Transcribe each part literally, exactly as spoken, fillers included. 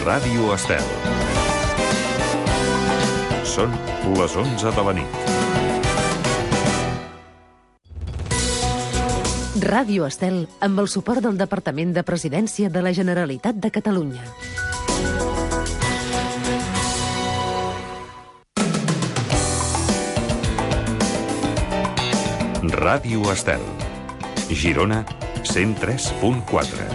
Ràdio Estel. Són les onze de la nit. Ràdio Estel, amb el suport del Departament de Presidència de la Generalitat de Catalunya. Ràdio Estel. Girona, cent tres punt quatre.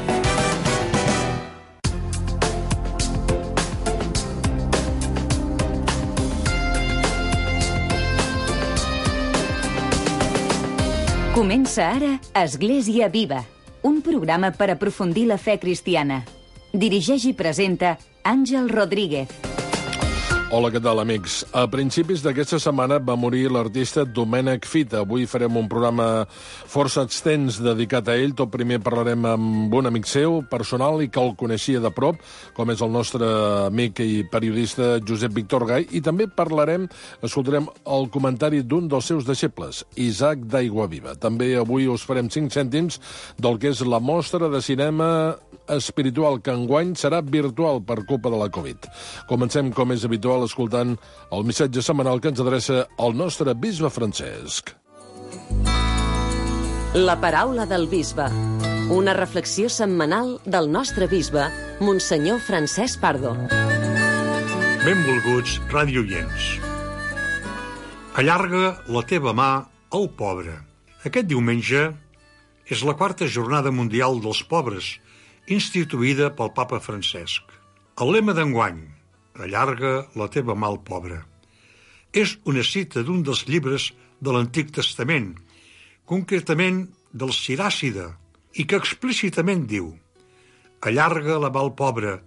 Comença ara Església Viva, un programa per aprofundir la fe cristiana. Dirigeix i presenta Àngel Rodríguez. Hola, què tal, amics? A principis d'aquesta setmana va morir l'artista Domènec Fita. Avui farem un programa força extens dedicat a ell. Tot primer parlarem amb un amic seu, personal, i que el coneixia de prop, com és el nostre amic i periodista Josep Víctor Gai, i també parlarem, escoltarem el comentari d'un dels seus deixebles, Isaac d'Aiguaviva. També avui us farem cinc cèntims del que és la mostra de cinema espiritual, que enguany serà virtual per culpa de la Covid. Comencem, com és habitual, escoltant el missatge setmanal que ens adreça el nostre bisbe Francesc. La paraula del bisbe. Una reflexió setmanal del nostre bisbe, Monsenyor Francesc Pardo. Benvolguts radioients. Allarga la teva mà al pobre. Aquest diumenge és la quarta jornada mundial dels pobres, instituïda pel papa Francesc. El lema d'enguany, allarga la teva mà al pobre, és una cita d'un dels llibres de l'Antic Testament, concretament del Siràcida, i que explícitament diu: allarga la mà al pobre,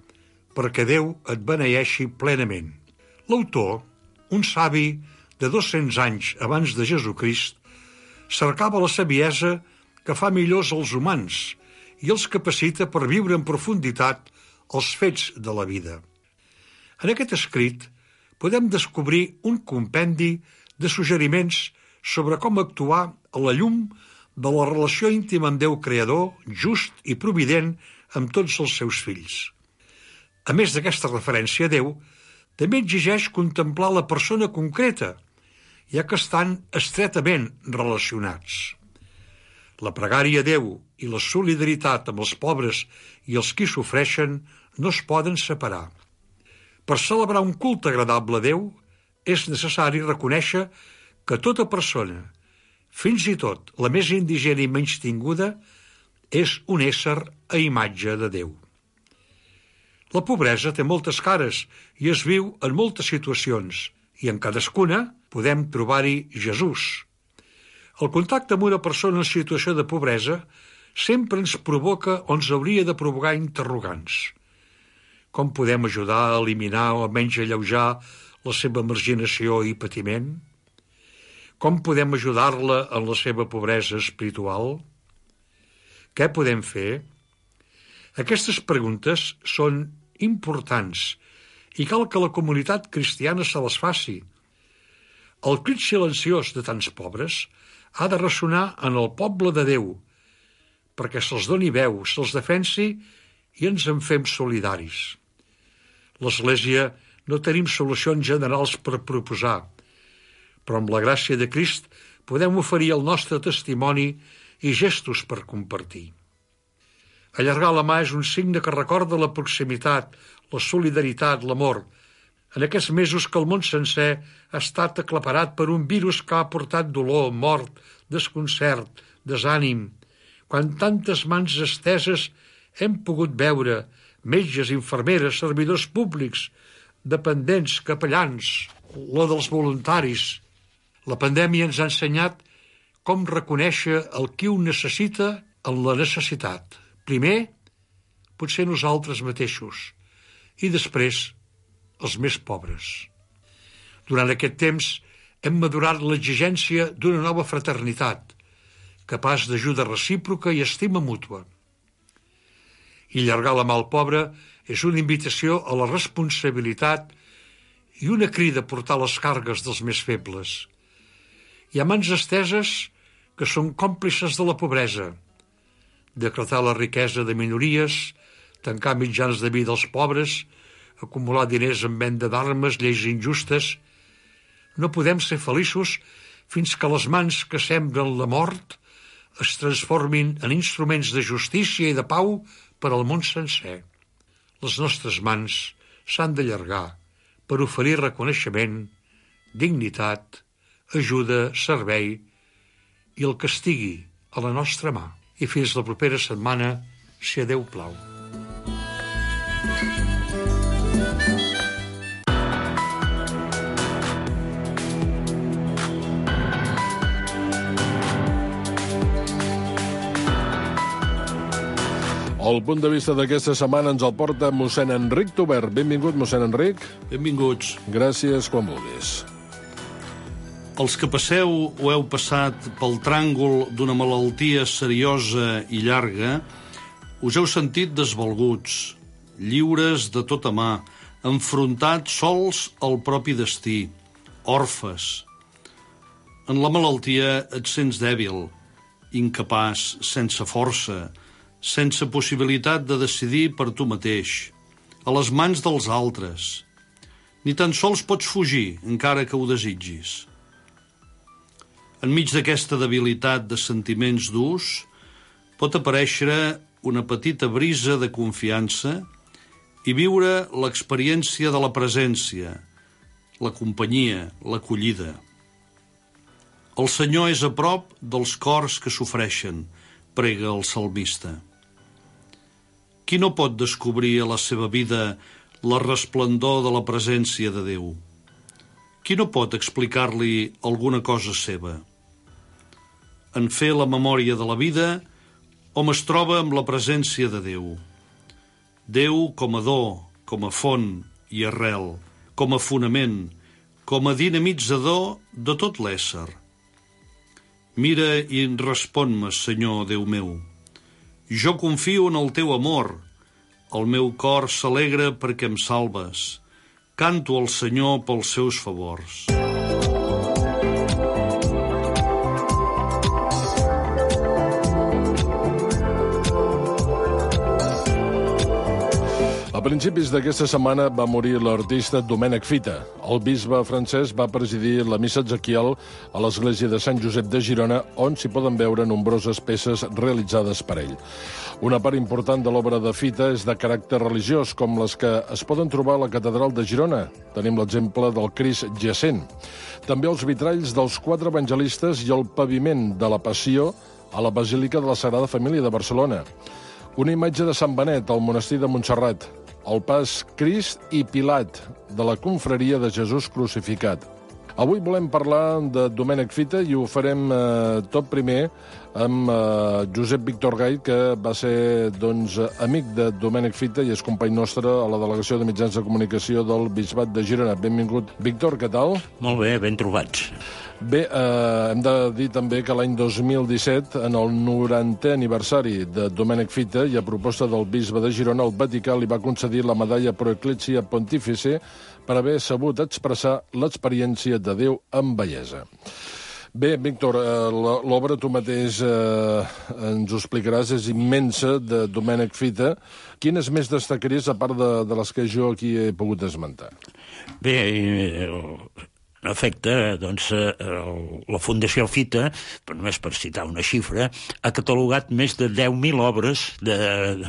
perquè Déu et beneeixi plenament. L'autor, un savi de dos-cents anys abans de Jesucrist, cercava la saviesa que fa millors els humans i els capacita per viure en profunditat els fets de la vida. En aquest escrit podem descobrir un compendi de suggeriments sobre com actuar a la llum de la relació íntima amb Déu creador, just i provident amb tots els seus fills. A més d'aquesta referència a Déu, també exigeix contemplar la persona concreta, ja que estan estretament relacionats. La pregària a Déu i la solidaritat amb els pobres i els qui sofreixen no es poden separar. Per celebrar un culte agradable a Déu, és necessari reconèixer que tota persona, fins i tot la més indigent i menystinguda, és un ésser a imatge de Déu. La pobresa té moltes cares i es viu en moltes situacions, i en cadascuna podem trobar-hi Jesús. El contacte amb una persona en situació de pobresa sempre ens provoca o ens hauria de provocar interrogants. Com podem ajudar a eliminar o almenys alleujar la seva marginació i patiment? Com podem ajudar-la en la seva pobresa espiritual? Què podem fer? Aquestes preguntes són importants i cal que la comunitat cristiana se les faci. El crit silenciós de tants pobres ha de ressonar en el poble de Déu, perquè se'ls doni veu, se'ls defensi i ens en fem solidaris. L'Església no tenim solucions generals per proposar, però amb la gràcia de Crist podem oferir el nostre testimoni i gestos per compartir. Allargar la mà és un signe que recorda la proximitat, la solidaritat, l'amor, en aquests mesos que el món sencer ha estat aclaparat per un virus que ha portat dolor, mort, desconcert, desànim, quan tantes mans esteses hem pogut veure metges, infermeres, servidors públics, dependents, capellans, la dels voluntaris. La pandèmia ens ha ensenyat com reconèixer el qui ho necessita en la necessitat. Primer, potser nosaltres mateixos, i després, els més pobres. Durant aquest temps hem madurat l'exigència d'una nova fraternitat, capaç d'ajuda recíproca i estima mútua. I allargar la mà al pobre és una invitació a la responsabilitat i una crida a portar les cargues dels més febles. Hi ha mans esteses que són còmplices de la pobresa, decretar la riquesa de minories, tancar mitjans de vida als pobres, acumular diners en venda d'armes, lleis injustes. No podem ser feliços fins que les mans que sembren la mort es transformin en instruments de justícia i de pau per al món sencer. Les nostres mans s'han d'allargar per oferir reconeixement, dignitat, ajuda, servei i el que estigui a la nostra mà. I fins la propera setmana, si a Déu plau. El punt de vista d'aquesta setmana ens el porta mossèn Enric Tobert. Benvingut, mossèn Enric. Benvinguts. Gràcies, quan vulguis. Els que passeu o heu passat pel tràngol d'una malaltia seriosa i llarga, us heu sentit desvalguts, lliures de tota mà, enfrontats sols al propi destí, orfes. En la malaltia et sents dèbil, incapaç, sense força, sense possibilitat de decidir per tu mateix, a les mans dels altres. Ni tan sols pots fugir, encara que ho desitgis. Enmig d'aquesta debilitat de sentiments durs, pot aparèixer una petita brisa de confiança i viure l'experiència de la presència, la companyia, l'acollida. El Senyor és a prop dels cors que sofreixen, prega el salmista. Qui no pot descobrir a la seva vida la resplendor de la presència de Déu? Qui no pot explicar-li alguna cosa seva? En fer la memòria de la vida, hom es troba amb la presència de Déu. Déu com a do, com a font i arrel, com a fonament, com a dinamitzador de tot l'ésser. Mira i respon-me, Senyor, Déu meu. Jo confio en el teu amor. El meu cor s'alegra perquè em salves. Canto al Senyor pels seus favors. A principis d'aquesta setmana va morir l'artista Domènec Fita. El bisbe francès va presidir la missa Ezequiel a l'església de Sant Josep de Girona, on s'hi poden veure nombroses peces realitzades per ell. Una part important de l'obra de Fita és de caràcter religiós, com les que es poden trobar a la catedral de Girona. Tenim l'exemple del Crist jacent. També els vitralls dels quatre evangelistes i el paviment de la Passió a la Basílica de la Sagrada Família de Barcelona. Una imatge de Sant Benet al monestir de Montserrat. El pas Crist i Pilat de la confraria de Jesús crucificat. Avui volem parlar de Domènec Fita i ho farem eh, tot primer amb eh, Josep Víctor Gay, que va ser doncs, amic de Domènec Fita i és company nostre a la Delegació de Mitjans de Comunicació del Bisbat de Girona. Benvingut. Víctor, què tal? Molt bé, ben trobats. Bé, eh, hem de dir també que l'any dos mil disset, en el norantè aniversari de Domènec Fita i a proposta del bisbe de Girona, el Vaticà li va concedir la medalla Pro Ecclesia Pontifice per haver sabut expressar l'experiència de Déu amb bellesa. Bé, Víctor, eh, l'obra tu mateix eh, ens ho explicaràs, és immensa, de Domènec Fita. Quines més destacaries, a part de, de les que jo aquí he pogut esmentar? Bé, eh, en efecte, doncs, la Fundació Fita, però només per citar una xifra, ha catalogat més de deu mil obres de,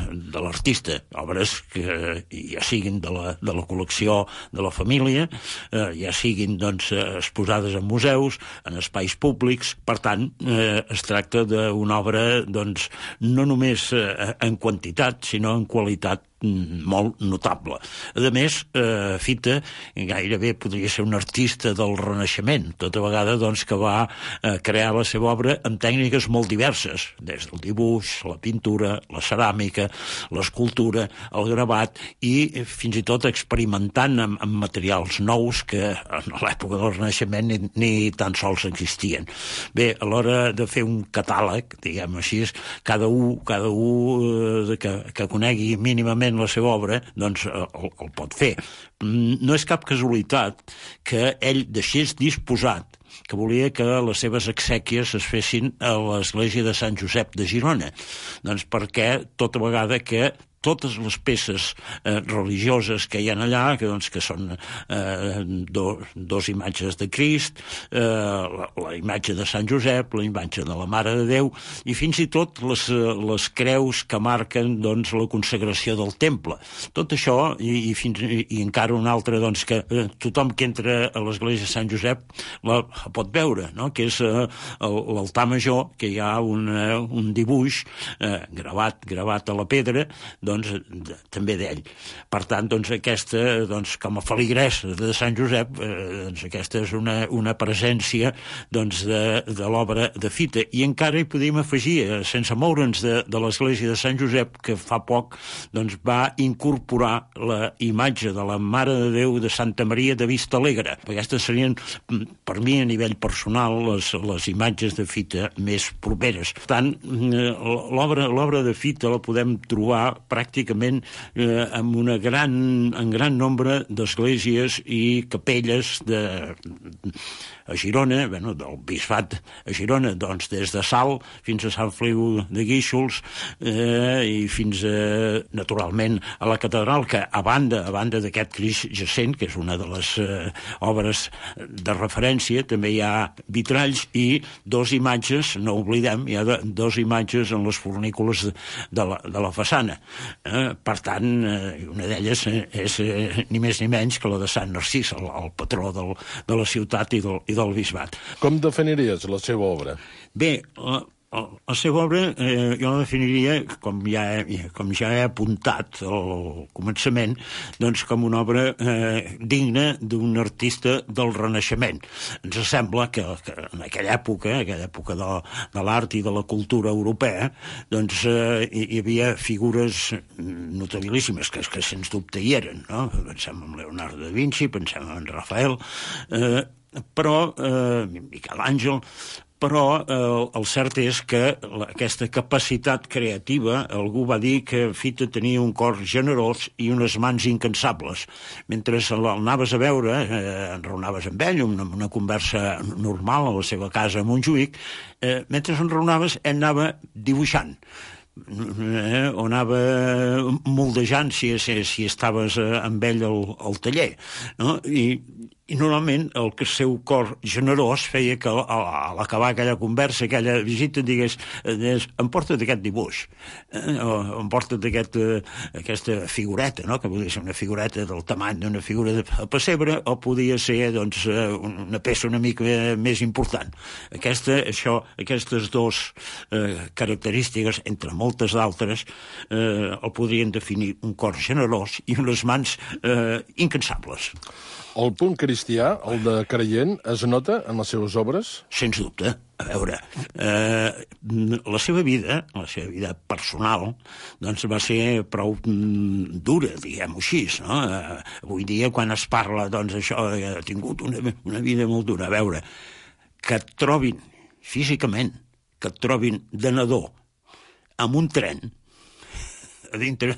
de l'artista, obres que ja siguin de la, de la col·lecció de la família, eh, ja siguin doncs, exposades en museus, en espais públics. Per tant, eh, es tracta d'una obra doncs, no només eh, en quantitat, sinó en qualitat molt notable. A més, eh, Fita gairebé podria ser un artista del Renaixement, tota vegada doncs, que va eh, crear la seva obra amb tècniques molt diverses, des del dibuix, la pintura, la ceràmica, l'escultura, el gravat i fins i tot experimentant amb, amb materials nous que en l'època del Renaixement ni, ni tan sols existien. Bé, a l'hora de fer un catàleg, diguem així, cada un, cada un eh, que, que conegui mínimament la seva obra, doncs el, el pot fer. No és cap casualitat que ell deixés disposat que volia que les seves exèquies es fessin a l'església de Sant Josep de Girona. Doncs perquè tota vegada que totes les peces eh, religioses que hi ha allà, que, doncs, que són eh, do, dos imatges de Crist, eh, la, la imatge de Sant Josep, la imatge de la Mare de Déu, i fins i tot les, les creus que marquen, doncs, la consagració del temple. Tot això, i, i, fins, i, i encara un altre, doncs, que eh, tothom que entra a l'església de Sant Josep la, la pot veure, no? Que és eh, l'altar major, que hi ha un, eh, un dibuix eh, gravat, gravat a la pedra, doncs, de, també d'ell. Per tant, doncs, aquesta, doncs, com a feligresa de Sant Josep, eh, doncs, aquesta és una, una presència, doncs, de, de l'obra de Fita. I encara hi podíem afegir, eh, sense moure'ns de, de l'església de Sant Josep, que fa poc, doncs, va incorporar la imatge de la Mare de Déu de Santa Maria de Vista Alegre. Aquestes serien, per mi, a nivell personal, les, les imatges de Fita més properes. Per tant, l'obra, l'obra de Fita la podem trobar pràcticament eh, amb una gran, en gran nombre d'esglésies i capelles de, a Girona, bueno, del bisbat a Girona, doncs des de Salt fins a Sant Feliu de Guíxols eh, i fins a, naturalment, a la catedral, que a banda, a banda d'aquest Crist jacent, que és una de les eh, obres de referència, també hi ha vitralls i dos imatges, no oblidem, hi ha de, dos imatges en les fornícules de, de, la, de la façana. Eh, per tant, eh, una d'elles és eh, ni més ni menys que la de Sant Narcís, el, el patró del, de la ciutat i del, i del bisbat. Com definiries la seva obra? Bé, la, la seva obra eh, jo la definiria, com ja, he, com ja he apuntat al començament, doncs com una obra eh, digna d'un artista del Renaixement. Ens sembla que, que en aquella època, aquella època de, de l'art i de la cultura europea, doncs eh, hi, hi havia figures notabilíssimes, que, que sens dubte hi eren, no? Pensem en Leonardo da Vinci, pensem en Rafael, eh, però eh, Miquel Àngel, però eh, el cert és que la, aquesta capacitat creativa, algú va dir que Fita tenia un cor generós i unes mans incansables. Mentre l'anaves a veure, eh, enraonaves amb ell, una, una conversa normal a la seva casa a Montjuïc, eh, mentre enraonaves ell anava dibuixant. Eh, o anava moldejant si, si, si estaves eh, amb ell al, al taller, no? I, i normalment el que el seu cor generós feia que a, a l'acabar aquella conversa, aquella visita, digués, digués em porta't aquest dibuix, eh, o em porta't aquest, eh, aquesta figureta, no? Que podia ser una figureta del tamany d'una figura de pessebre, o podia ser, doncs, una peça una mica més important. Aquesta, això, aquestes dues eh, característiques, entre moltes d'altres, eh, el podrien definir un cor generós i unes mans eh, incansables. El punt cristià, el de creient, es nota en les seves obres? Sens dubte. A veure, eh, la seva vida, la seva vida personal, doncs va ser prou mm, dura, diguem-ho així, no? Eh, avui dia, quan es parla, doncs, això, ha tingut una, una vida molt dura. A veure, que et trobin físicament, que et trobin de nadó amb un tren, dintre,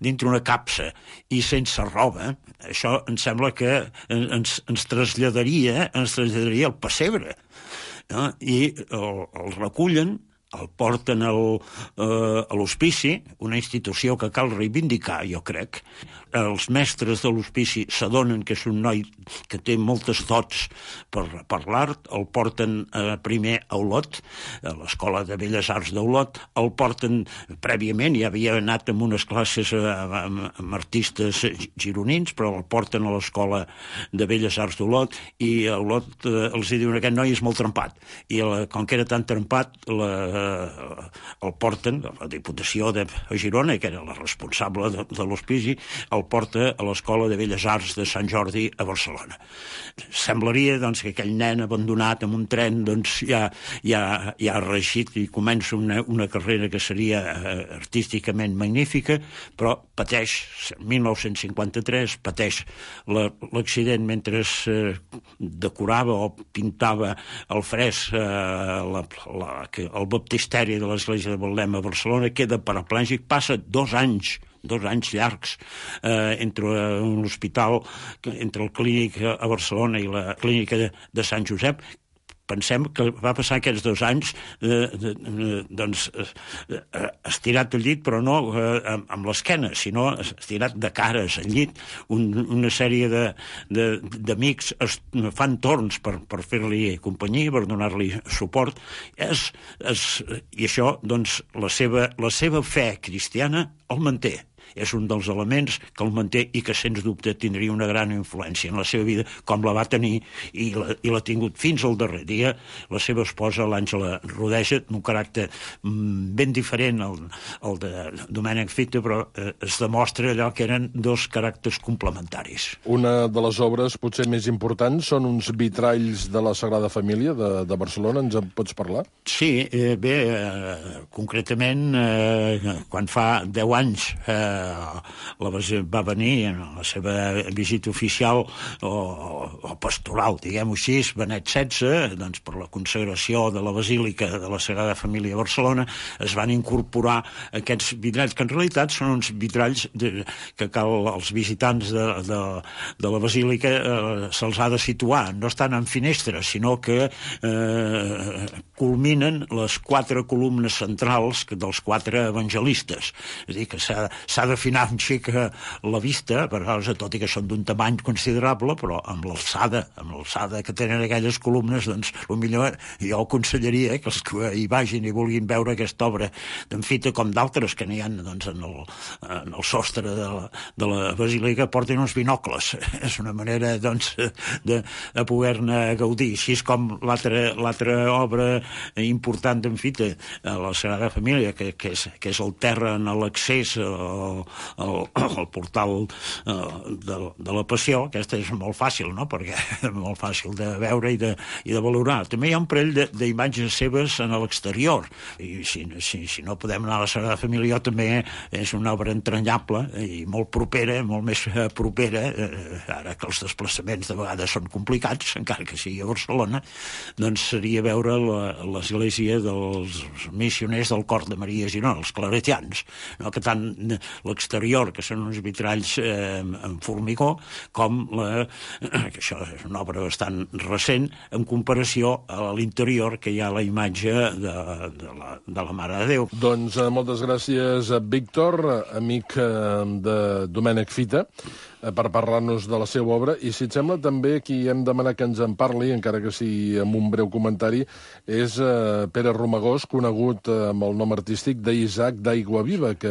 dintre una capsa i sense roba, això em sembla que ens, ens traslladaria ens traslladaria al pessebre, no? I el, el recullen, el porten al, eh, a l'hospici, una institució que cal reivindicar, jo crec. Els mestres de l'hospici s'adonen que és un noi que té moltes dots per, per l'art, el porten eh, primer a Olot, a l'Escola de Belles Arts d'Olot, el porten prèviament, ja havia anat amb unes classes eh, amb, amb artistes gironins, però el porten a l'Escola de Belles Arts d'Olot, i a Olot eh, els diuen que aquest noi és molt trempat, i la, com que era tan trempat, la, eh, el porten a la Diputació de Girona, que era la responsable de, de l'hospici, el porta a l'Escola de Belles Arts de Sant Jordi a Barcelona. Semblaria, doncs, que aquell nen abandonat en un tren, doncs, ja, ja, ja ha reeixit i comença una, una carrera que seria eh, artísticament magnífica, però pateix, mil nou-cents cinquanta-tres, pateix l'accident mentre eh, decorava o pintava el fresc, eh, la, la, el baptisteri de l'església de Betlem a Barcelona, queda paraplègic, passa dos anys dos anys llargs eh, entre l'hospital, entre el clínic a Barcelona i la clínica de, de Sant Josep, pensem que va passar aquests dos anys eh, eh, doncs, eh, estirat al llit, però no eh, amb, amb l'esquena, sinó estirat de cares al llit. Un, una sèrie d'amics fan torns per, per fer-li companyia, per donar-li suport. És, és, I això, doncs, la seva, la seva fe cristiana el manté. És un dels elements que el manté i que, sens dubte, tindria una gran influència en la seva vida, com la va tenir i l'ha tingut fins al darrer dia la seva esposa, l'Àngela Rodeja, d'un caràcter ben diferent al, al de Domènec Fita, però eh, es demostra allò que eren dos caràcters complementaris. Una de les obres potser més importants són uns vitralls de la Sagrada Família de, de Barcelona. Ens en pots parlar? Sí, eh, bé, eh, concretament, eh, quan fa deu anys eh, la va venir en la seva visita oficial o, o pastoral, diguem-ho així, Benet setze, doncs per la consagració de la Basílica de la Sagrada Família a Barcelona, es van incorporar aquests vitralls, que en realitat són uns vitralls de, que cal als visitants de, de, de la Basílica eh, se'ls ha de situar. No estan en finestres, sinó que eh, culminen les quatre columnes centrals dels quatre evangelistes. És a dir, que s'ha d'afinar un xic la vista, però, tot i que són d'un tamany considerable, però amb l'alçada, amb l'alçada que tenen aquelles columnes, doncs, el millor jo aconsellaria que els que hi vagin i vulguin veure aquesta obra d'en Fita, com d'altres que n'hi ha, doncs, en el, en el sostre de la, de la Basílica, portin uns binocles. És una manera, doncs, de, de poder-ne gaudir. Així és com l'altra obra important d'en Fita, la Sagrada Família, que, que, és, que és el terra en l'accés al, al, al portal eh, de, de la Passió. Aquesta és molt fàcil, no?, perquè és molt fàcil de veure i de, i de valorar. També hi ha un parell d'imatges seves en l'exterior, i si, si, si no podem anar a la Sagrada Família, també és una obra entranyable i molt propera, molt més propera, eh, ara que els desplaçaments de vegades són complicats, encara que sigui a Barcelona, doncs seria veure l'església dels missioners del Cor de Maria Girona, els claretians, no?, que tant l'exterior, que són uns vitralls eh, en formigó, com la, que això és una obra bastant recent, en comparació a l'interior, que hi ha la imatge de, de, la, de la Mare de Déu. Doncs eh, moltes gràcies, Víctor, amic eh, de Domènec Fita, per parlar-nos de la seva obra, i si et sembla també qui hem demanat que ens en parli, encara que sigui amb un breu comentari, és eh, Pere Romagós, conegut eh, amb el nom artístic d'Isaac d'Aiguaviva, que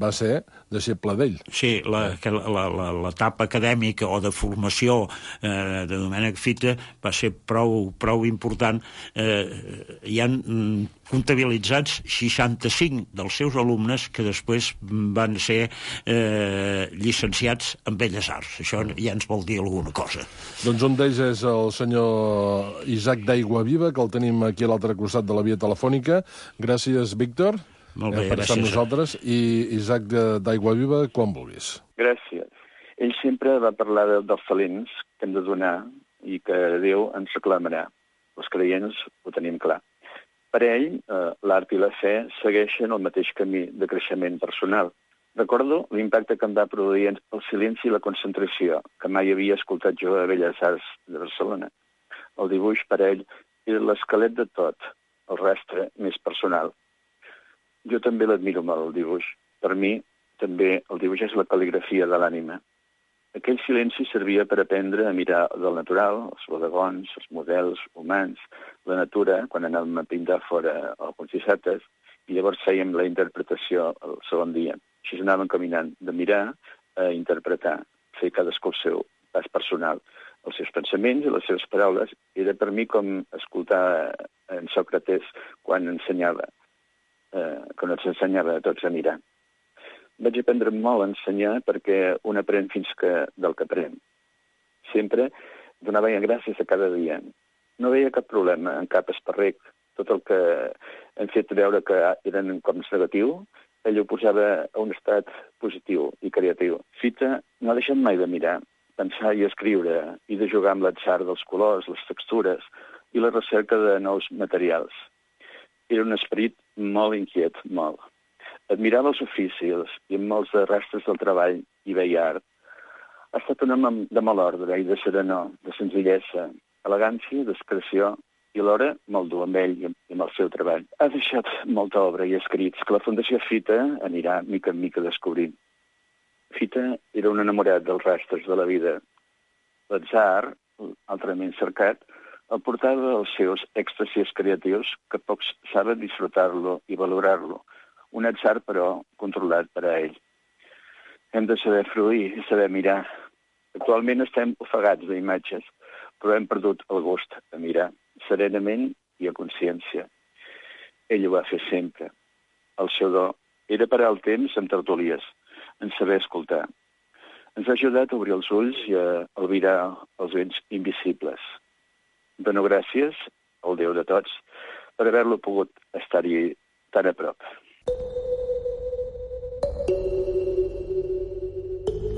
va ser deixeble d'ell. Sí, l'etapa acadèmica o de formació eh, de Domènec Fita va ser prou, prou important. Eh, hi han comptabilitzats seixanta-cinc dels seus alumnes que després van ser eh, llicenciats en Belles Arts. Això ja ens vol dir alguna cosa. Doncs un d'ells és el senyor Isaac d'Aiguaviva, que el tenim aquí a l'altre costat de la via telefònica. Gràcies, Víctor. Molt bé, per estar amb nosaltres. I Isaac d'Aiguaviva, quan vulguis. Gràcies. Ell sempre va parlar de, dels talents que hem de donar i que Déu ens reclamarà. Els creients ho tenim clar. Per ell, eh, l'art i la fe segueixen el mateix camí de creixement personal. Recordo l'impacte que em va produir el silenci i la concentració, que mai havia escoltat jo a Belles Arts de Barcelona. El dibuix, per ell, era l'esquelet de tot, el rastre més personal. Jo també l'admiro molt, el dibuix. Per mi, també, el dibuix és la cal·ligrafia de l'ànima. Aquell silenci servia per aprendre a mirar del natural, els bodegons, els models humans, la natura, quan anàvem a pintar fora alguns dissabtes, i llavors fèiem la interpretació el segon dia. Així anàvem caminant de mirar a interpretar, fer cadascú el seu pas personal. Els seus pensaments i les seves paraules era per mi com escoltar en Sòcrates quan ensenyava, eh, quan ens ensenyava a tots a mirar. Vaig aprendre molt a ensenyar perquè un aprèn fins que del que aprèn. Sempre donava gràcies a cada dia. No veia cap problema en cap esparrec. Tot el que hem fet veure que eren com negatiu, ell ho posava a un estat positiu i creatiu. Fita no ha deixat mai de mirar, pensar i escriure, i de jugar amb l'atzar dels colors, les textures i la recerca de nous materials. Era un esperit molt inquiet, molt. Admirava els oficis i en molts de rastres del treball hi veia art. Ha estat un home de mal ordre i de serenor, de senzillesa, elegància, discreció i alhora me'l du amb ell i amb el seu treball. Ha deixat molta obra i escrits que la Fundació Fita anirà mica en mica descobrint. Fita era un enamorat dels rastres de la vida. L'atzar, altrament cercat, el portava als seus èxtasis creatius que pocs saben disfrutar-lo i valorar-lo. Un atzar, però, controlat per a ell. Hem de saber fruir i saber mirar. Actualment estem ofegats d'imatges, però hem perdut el gust de mirar, serenament i a consciència. Ell ho va fer sempre. El seu do era parar el temps amb tertulies, en saber escoltar. Ens ha ajudat a obrir els ulls i a albirar els vents invisibles. Dono gràcies al Déu de tots per haver-lo pogut estar-hi tan a prop.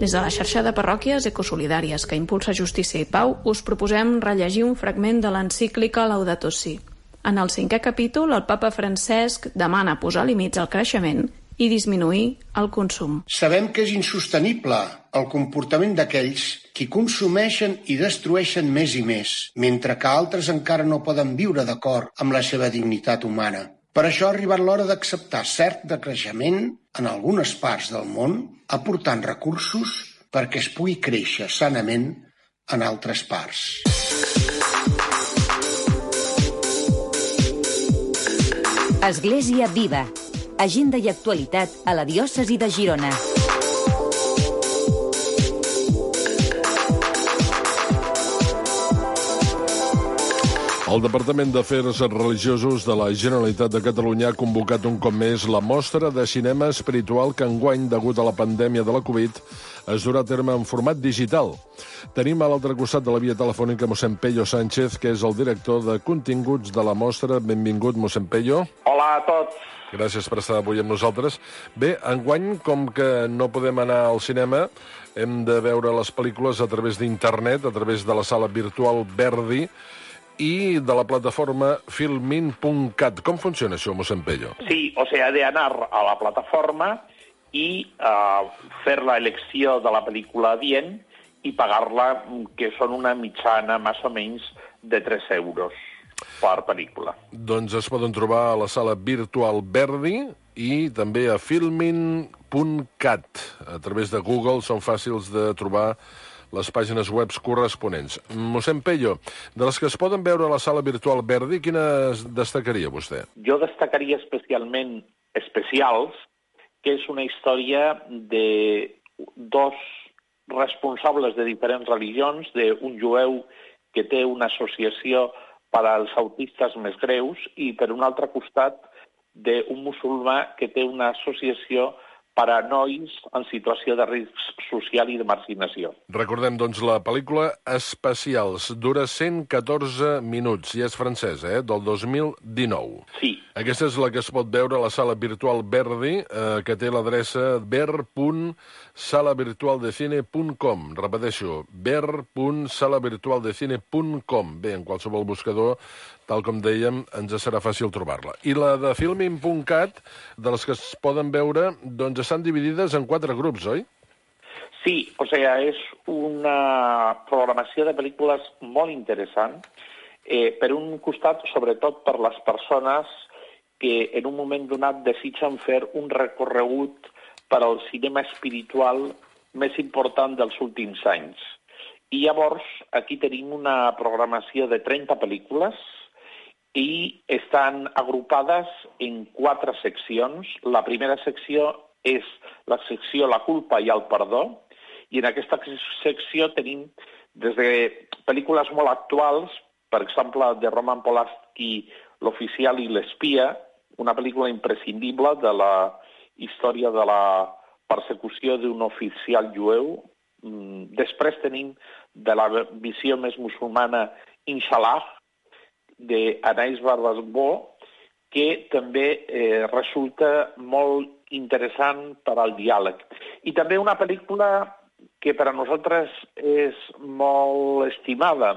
Des de la xarxa de parròquies ecosolidàries que impulsa Justícia i Pau, us proposem rellegir un fragment de l'encíclica Laudato Si. En el cinquè capítol, el papa Francesc demana posar límits al creixement i disminuir el consum. Sabem que és insostenible el comportament d'aquells qui consumeixen i destrueixen més i més, mentre que altres encara no poden viure d'acord amb la seva dignitat humana. Per això ha arribat l'hora d'acceptar cert decreixement en algunes parts del món, aportant recursos perquè es pugui créixer sanament en altres parts. Església Viva. Agenda i actualitat a la diòcesi de Girona. El Departament d'Afers Religiosos de la Generalitat de Catalunya ha convocat un cop més la mostra de cinema espiritual que enguany, degut a la pandèmia de la Covid, es durà a terme en format digital. Tenim a l'altre costat de la via telefònica mossèn Pello Sánchez, que és el director de continguts de la mostra. Benvingut, mossèn Pello. Hola a tots. Gràcies per estar avui amb nosaltres. Bé, enguany, com que no podem anar al cinema, hem de veure les pel·lícules a través d'internet, a través de la sala virtual Verdi, y de la plataforma filmin punt cat. ¿Cómo funciona eso, mossèn Pello? Sí, o sea, de anar a la plataforma y uh, fer la elecció de la pel·lícula adient i pagar-la, que són una mitjana més o menys de tres euros per pel·lícula. Doncs es poden trobar a la sala virtual Verdi i també a filmin punt cat. A través de Google són fàcils de trobar les pàgines web corresponents. Mossèn Pello, de les que es poden veure a la sala virtual Verdi, quines destacaria vostè? Jo destacaria especialment Especials, que és una història de dos responsables de diferents religions, d'un jueu que té una associació per als autistes més greus i, per un altre costat, d'un musulmà que té una associació per a nois en situació de risc social i de marginació. Recordem, doncs, la pel·lícula Especials. Dura cent catorze minuts i és francesa, eh? Del dos mil dinou. Sí. Aquesta és la que es pot veure a la sala virtual Verdi, eh, que té l'adreça ver punt sala virtual de cine punt com. Repeteixo, ver punt sala virtual de cine punt com. Bé, en qualsevol buscador, tal com dèiem, ens serà fàcil trobar-la. I la de filmin punt cat, de les que es poden veure, doncs estan dividides en quatre grups, oi? Sí, o sea, és una programació de pel·lícules molt interessant, eh, per un costat, sobretot per les persones que en un moment donat desitgen fer un recorregut per al cinema espiritual més important dels últims anys. I llavors, aquí tenim una programació de trenta pel·lícules i estan agrupades en quatre seccions. La primera secció és la secció La culpa i el perdó, i en aquesta secció tenim des de pel·lícules molt actuals, per exemple, de Roman Polanski, L'oficial i l'espia, una pel·lícula imprescindible de la història de la persecució d'un oficial jueu. Després tenim de la visió més musulmana Inshallah, d'Anais Barbasbó, que també eh, resulta molt interessant per al diàleg. I també una pel·lícula que per a nosaltres és molt estimada,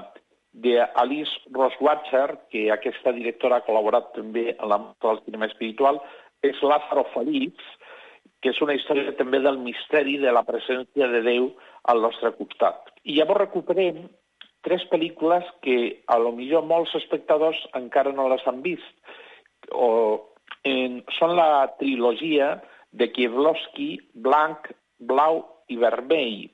d'Alice Rohrwacher, que aquesta directora ha col·laborat també en la mostra del cinema espiritual, és Lázaro Feliç, que és una història també del misteri de la presència de Déu al nostre costat. I llavors recuperem tres pel·lícules que a lo millor molts espectadors encara no les han vist. O, en, són la trilogia de Kieslowski, Blanc, Blau i Vermell.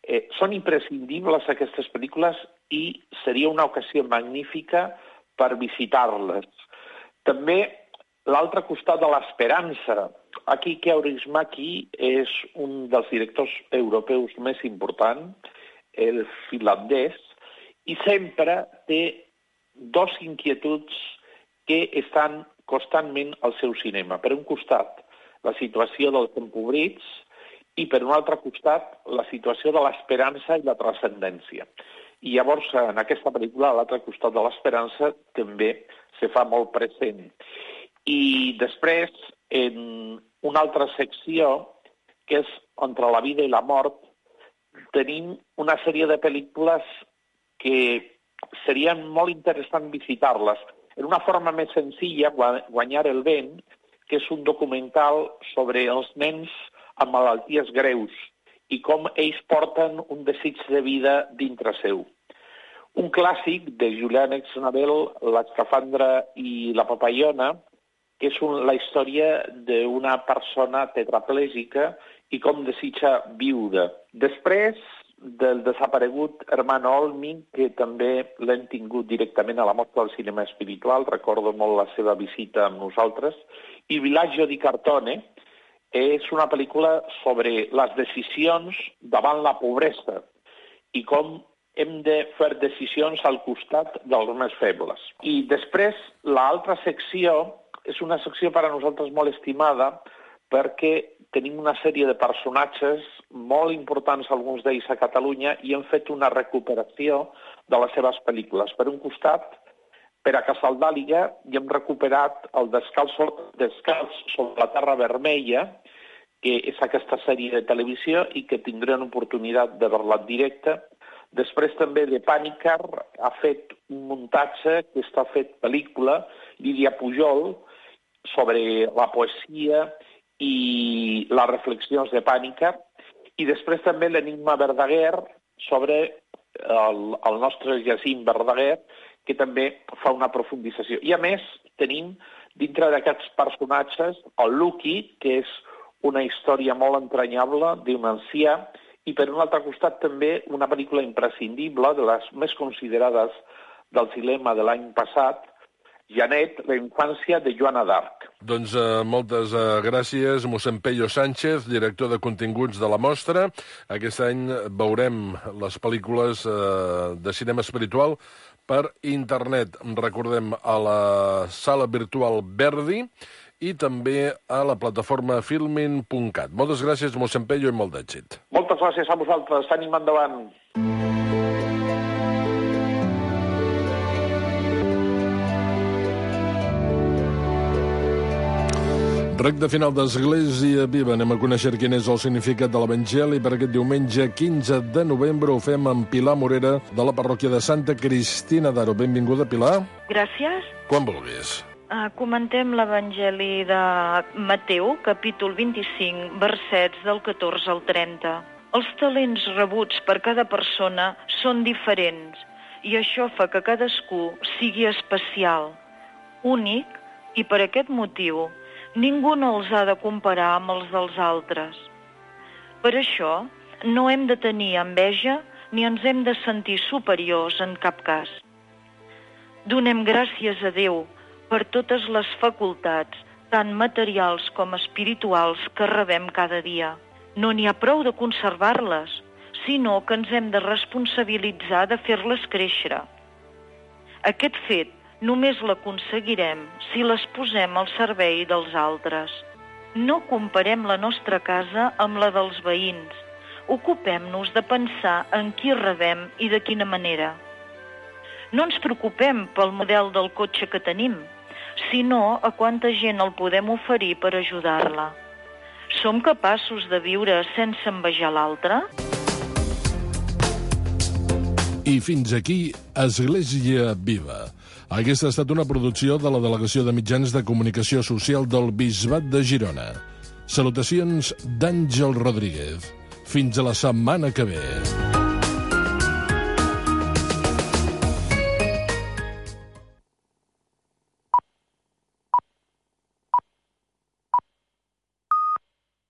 Eh, són imprescindibles aquestes pel·lícules i seria una ocasió magnífica per visitar-les. També l'altre costat de l'esperança. Aquí Kaurismäki és un dels directors europeus més importants, el finlandès, i sempre té dos inquietuds que estan constantment al seu cinema. Per un costat, la situació dels empobrits, i per un altre costat, la situació de l'esperança i la transcendència. I llavors, en aquesta pel·lícula, a l'altre costat de l'esperança, també se fa molt present. I després, en una altra secció, que és Entre la vida i la mort, tenim una sèrie de pel·lícules que serien molt interessant visitar-les. En una forma més senzilla, Guanyar el vent, que és un documental sobre els nens amb malalties greus i com ells porten un desig de vida dintre seu. Un clàssic de Julian Exnabel, L'escafandra i la papallona, que és un, la història d'una persona tetraplègica i com desitja viure. Després del desaparegut Hermano Olmi, que també l'hem tingut directament a la Mostra del Cinema Espiritual, recordo molt la seva visita amb nosaltres, i Villaggio di Cartone, és una pel·lícula sobre les decisions davant la pobresa i com hem de fer decisions al costat dels més febles. I després, l'altra secció és una secció per a nosaltres molt estimada perquè tenim una sèrie de personatges molt importants, alguns d'ells a Catalunya, i hem fet una recuperació de les seves pel·lícules. Per un costat, per a Casaldàliga, i hem recuperat el Descalç, Descalç sobre la Terra Vermella, que és aquesta sèrie de televisió i que tindrem oportunitat de veure-la en directe. Després també de Pànicar ha fet un muntatge que està fet pel·lícula, Lídia Pujol, sobre la poesia i les reflexions de Pànicar. I després també l'Enigma Verdaguer sobre el, el nostre Jacint Verdaguer, que també fa una profundització. I a més tenim dintre d'aquests personatges el Lucky, que és una història molt entranyable d'un ancià, i per un altre costat també una pel·lícula imprescindible, de les més considerades del cinema de l'any passat, Janet, la infància de Joana d'Arc. Doncs eh, moltes eh, gràcies, mossèn Pello Sánchez, director de continguts de la mostra. Aquest any veurem les pel·lícules eh, de cinema espiritual per internet. Recordem, a la sala virtual Verdi i també a la plataforma filmin punt cat. Moltes gràcies, mossèn Pello, i molt d'èxit. Moltes gràcies a vosaltres. Ànim endavant. Recte final d'Església Viva. Anem a conèixer quin és el significat de l'Evangeli per aquest diumenge quinze de novembre. Ho fem amb Pilar Morera, de la parròquia de Santa Cristina d'Aro. Benvinguda, Pilar. Gràcies. Quan vulguis. Uh, comentem l'Evangeli de Mateu, capítol vint-i-cinc, versets del catorze al trenta. Els talents rebuts per cada persona són diferents i això fa que cadascú sigui especial, únic, i per aquest motiu ningú no els ha de comparar amb els dels altres. Per això no hem de tenir enveja ni ens hem de sentir superiors en cap cas. Donem gràcies a Déu per totes les facultats, tant materials com espirituals, que rebem cada dia. No n'hi ha prou de conservar-les, sinó que ens hem de responsabilitzar de fer-les créixer. Aquest fet només l'aconseguirem si les posem al servei dels altres. No comparem la nostra casa amb la dels veïns. Ocupem-nos de pensar en qui rebem i de quina manera. No ens preocupem pel model del cotxe que tenim, sinó a quanta gent el podem oferir per ajudar-la. Som capaços de viure sense envejar l'altre? I fins aquí Església Viva. Aquesta ha estat una producció de la Delegació de Mitjans de Comunicació Social del Bisbat de Girona. Salutacions d'Àngel Rodríguez. Fins a la setmana que ve.